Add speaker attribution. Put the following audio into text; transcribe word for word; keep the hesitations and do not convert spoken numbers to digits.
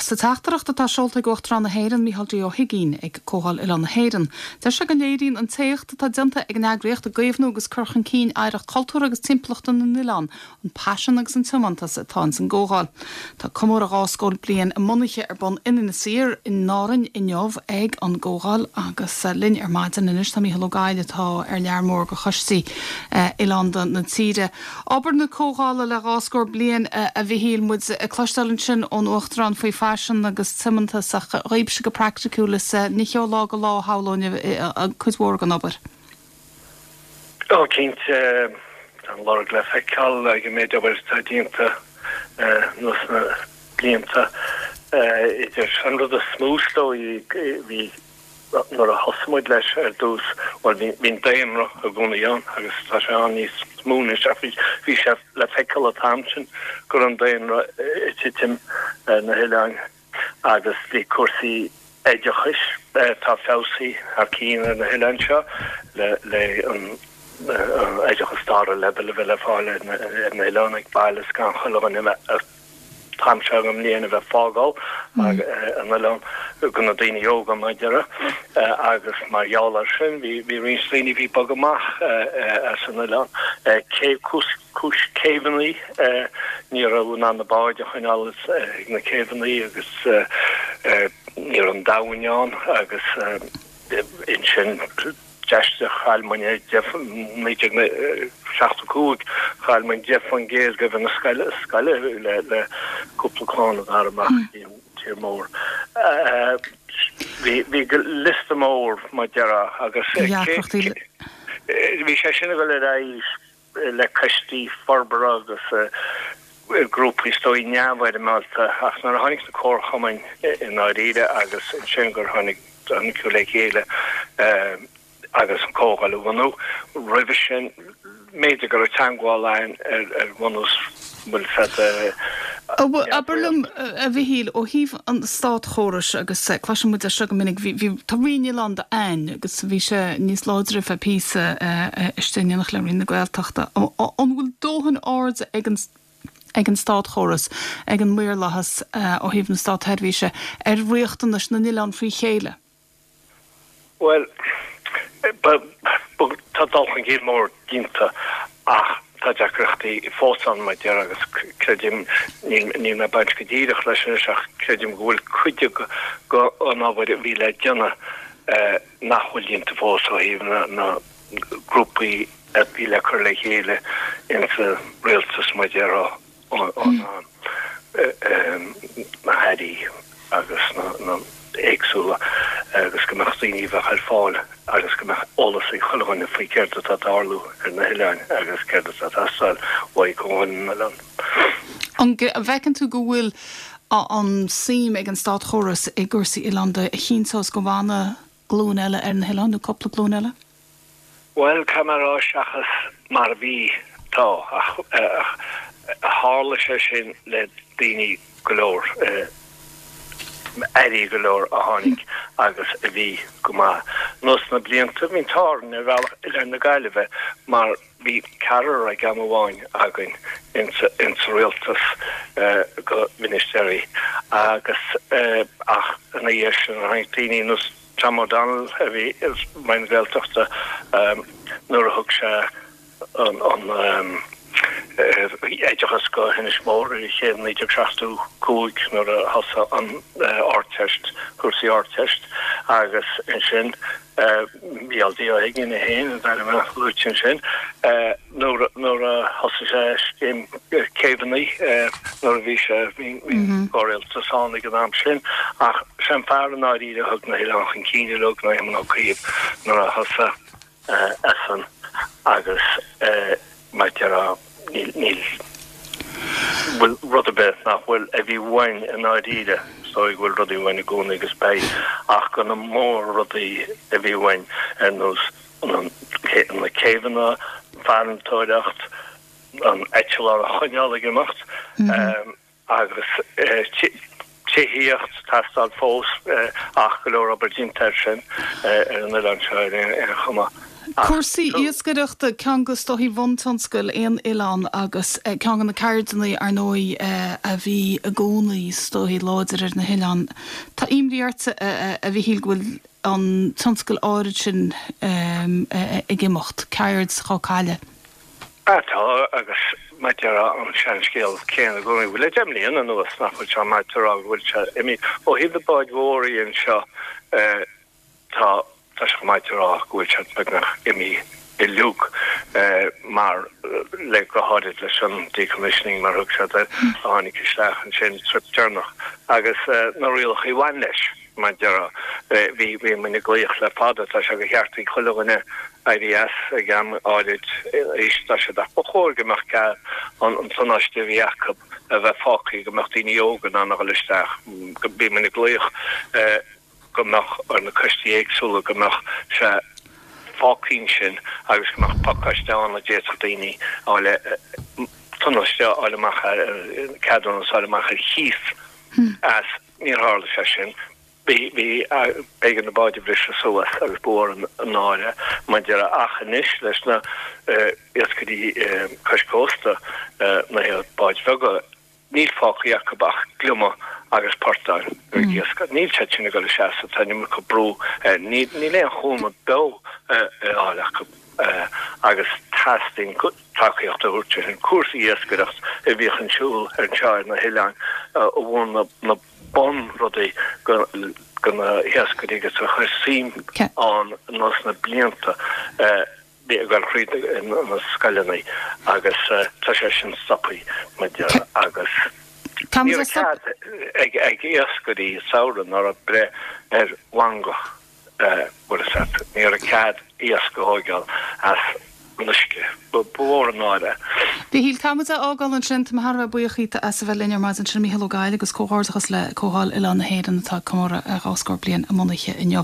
Speaker 1: Sa teachtaireacht atá seolta ag Uachtarán na hÉireann Micheál D. Ó hUigínn ag Comhdháil Oileán na hÉireann. Deir sé go léiríonn an t-éacht atá déanta ag an eagraíocht i gcaomhnú agus cur chun cinn oidhreacht cultúrtha agus timpeallachta na n-oileán, an paisean agus an tiomantas atá ins an gComhdháil. Tá comóradh dhá scór bliain a bunaithe ar bun in Inis Oírr in Árainn inniu ag an gComhdháil agus linn ar maidin anois tá Mícheál Ó Gaill atá ar lear mór de choistí oileánda na tíre. Obair na Comhdhála le dhá scór bliain a Mhichíl muid ag cloisteáil ansin ón Uachtarán faoi phaisean agus tiomantas ach dhaoibhse go praiticiúil is ní ó lá go lá shamhlóinn cuid mhór den obair.
Speaker 2: Ó cinnte tá an lorg le feiceáil ag an méid obair atá déanta anuas na blianta idir an rud is mó is dóigh bhí nuair a thosaigh muid leis ar dtús bhuel bhí bhí an daonra i gcónaí ann agus tá sé ann níos mó anois ach bhí bhí sé le feiceáil an t-am sin go raibh an daonra ag titim ar na hoileáin agus bhí cúrsaí oideachais atá feabhsaithe thar cinn ar na hoileáin seo le le an oideachas dara leibhéal a bheith le fáil ar na ar na hoileáin ag baile is gan chuile dhuine a bheith an t-am seo den mbliain a bheith ag fágáil an oileán go na daoine óga mar a déarfá agus mar gheall air sin bhí bhí roinnt daoine a bhí ag bogadh amach as an oileán cé cúis céibheanna ní raibh in ann na báid a choinneáil ag na céibheanna agus ní raibh an abhainn ann agus ansin d'aistrigh chaill muid naoi déag seachtó cúig chaill muid deich faoin gcéad de na scoile scoile le le cúpla clann a d'fhan amach i tír mór. Bhí bhí liosta mór mar a déarfá agus bhí sé sin ag dul ar aghaidh le coistí forbartha agus grúpaí is dóigh neamhfhoirmeálta ach nuair a tháinig na comharchumainn i ndáiríre agus ansin gur tháinig tháinig le chéile agus an Comhdháil a bhunú roimhe sin b'fhéidir go raibh teagmháil ann ar ar bhunús bhfuil fed
Speaker 1: Abair liom a Mhichíl ó thaobh an státchórais agus cloiseann muid é seo go minic bhí tá Roinn Oileánda ann agus bhí sé níos láidre fe píosa istigh in éineacht le Roinn na Gaeltachta. An bhfuil dóthain airde ag an ag an státchóras ag an maorlathas ó thaobh na státseirbhíse ar riachtanais na n-oileán faoi chéile?
Speaker 2: Well tá dul chun cinn mór déanta ach tá deacrachtaí fós ann mar a déarfá agus creidim níl mé baint go díreach leis anois ach creidim go bhfuil cuid den obair a bhí le déanamh nach bhfuil déanta fós ó thaobh na na grúpaí a bhí le cur le chéile insa rialtas mar a déarfá na hairí agus na na éagsúla agus go mbeadh daoine bheith ar fáil agus go mbeadh eolas ag chuile dhuine faoi céard atá ag tarlú ar na hoileáin agus céard atá ag teastáil uaidh Comhdháil na nOileán.
Speaker 1: An bhfeiceann tú go bhfuil an suim ag an státchóras i gcúrsaí oileánda a chinnteos go bhfanfaidh glúin eile ar na hoileáin nó cúpla glúin eile?
Speaker 2: Well caithfidh mé a rá seachas mar a bhí tá ach tharla sé sin le daoine go leor airí go leor a tháinig agus a bhí go maith. Anuas na blianta bhí an t-ádh orainn ar bhealach Oileán na Gaillimhe mar bhí ceathrar ag am amháin againn insa insa rialtas go ministéirí agus ach ina dhiaidh sin tháinig daoine nós Tom O'Donnell a bhí i Roinn na Gaeltachta nuair a thug sé an an oideachas go hInis Mór i chéad naoi déag seachtó cúig nuair a thosaigh an Ardteist cúrsaí Ardteist agus ansin Micheál D. Ó hUigínn é féin an t-ainm a luaite ansin nuair nuair a thosaigh sé scéim céibheanna nuair a bhí sé bhí comhrialtas ann ag an am sin ach sé an fear i ndáiríre a thug na hoileáin chun cinn uilig ná Éamon Ó Cuív nuair a thosaigh eisean agus mar a déarfá níl níl bhfuil rud ar bith nach bhfuil a bhí uainn i ndáiríre is dóigh go bhfuil rudaí uainn i gcónaí agus beidh ach go na mór rudaí a bhí uainn ar nós na céibheanna farantóireacht an eitleán a choinneáil ag imeacht agus tithíocht teastáil fós ach go leor obair déanta air sin ar an oileán seo ar aon chuma.
Speaker 1: Cúrsaí iascaireachta ceann de is dóichí buntionscail aon oileán agus ceann de na ceirdeanna ar ndóigh a bhí i gcónaí is dóichí láidir ar na hoileáin. Tá imní ort a Mhichíl go bhfuil an tionscal áirid sin ag imeacht, ceird dhá cailleadh.
Speaker 2: Tá agus mar a déarfá an seanscéal céanna i gcónaí, bhuel le deich mbliana anuas nach bhfuil sé maith a rá go bhfuil sé imithe. Ó thaobh na báid mhóra anseo tá tá sé maith a rá go bhfuil siad beagnach imithe uilig mar le go háirid leis an decommissioning mar thug siad air a tháinig isteach ansin trip deireanach agus na rialacha a bhain leis. Mar a déarfá, bhí bhí muid ag glaoch le fada, tá sé de cheart ag chuile dhuine éirí as ag am áirid aois, tá sé ach ba chóir go mbeadh cead an an tonnáiste a bhí acu a bheith fágtha go mbeadh daoine óga in ann a dhul isteach. Bhí muid ag glaoch go mbeadh ar na coistí éagsúla go mbeadh sé fágtha ansin agus go mbeadh pacáiste ann a d'fhéadfadh daoine a fháil tonnáiste a fháil amach ar ceadúnas a fháil amach ar chíos as. Níor tharla sé sin. Bhí, bhí, b'éigean na báid a bhriseadh suas agus ba mhór an náire mar a déarfá ach anois leis na iascairí cois cósta, na báid bheaga, níl fágtha acu ach gliomaigh agus portáin ag iascach. Níl siad sin ag dul isteach so tá an iomarca brú, níl, níl aon chúnamh beo ar fáil acu agus teastaíonn tacaíocht a thabhairt ar an cúrsa iascaireacht a bhíodh ar siúl anseo ar na hoileáin a mhúin na bunrudaí do na hiascairí agus a chuir suim ann anuas na blianta bhí ag dul thríd na scoileanna agus tá sé sin stoptha mar a déarfá agus ní raibh cead ag iascairí samhradh ná raibh breith ar mhangach bhfuil a fhios agat, ní raibh cead iasc a thóigeáil as an uisce. Ba mhór an náire é.
Speaker 1: Mhichíl, caithfidh muid a fhágáil ansin. Tá mé thar a bheith buíoch dhíot as a bheith linn ar maidin. Sin Mícheál Ó Gabhla agus comhghairdeachas le Comhdháil Oileán na hÉireann atá ag comóradh dhá scór bliain a mbunaithe inniu.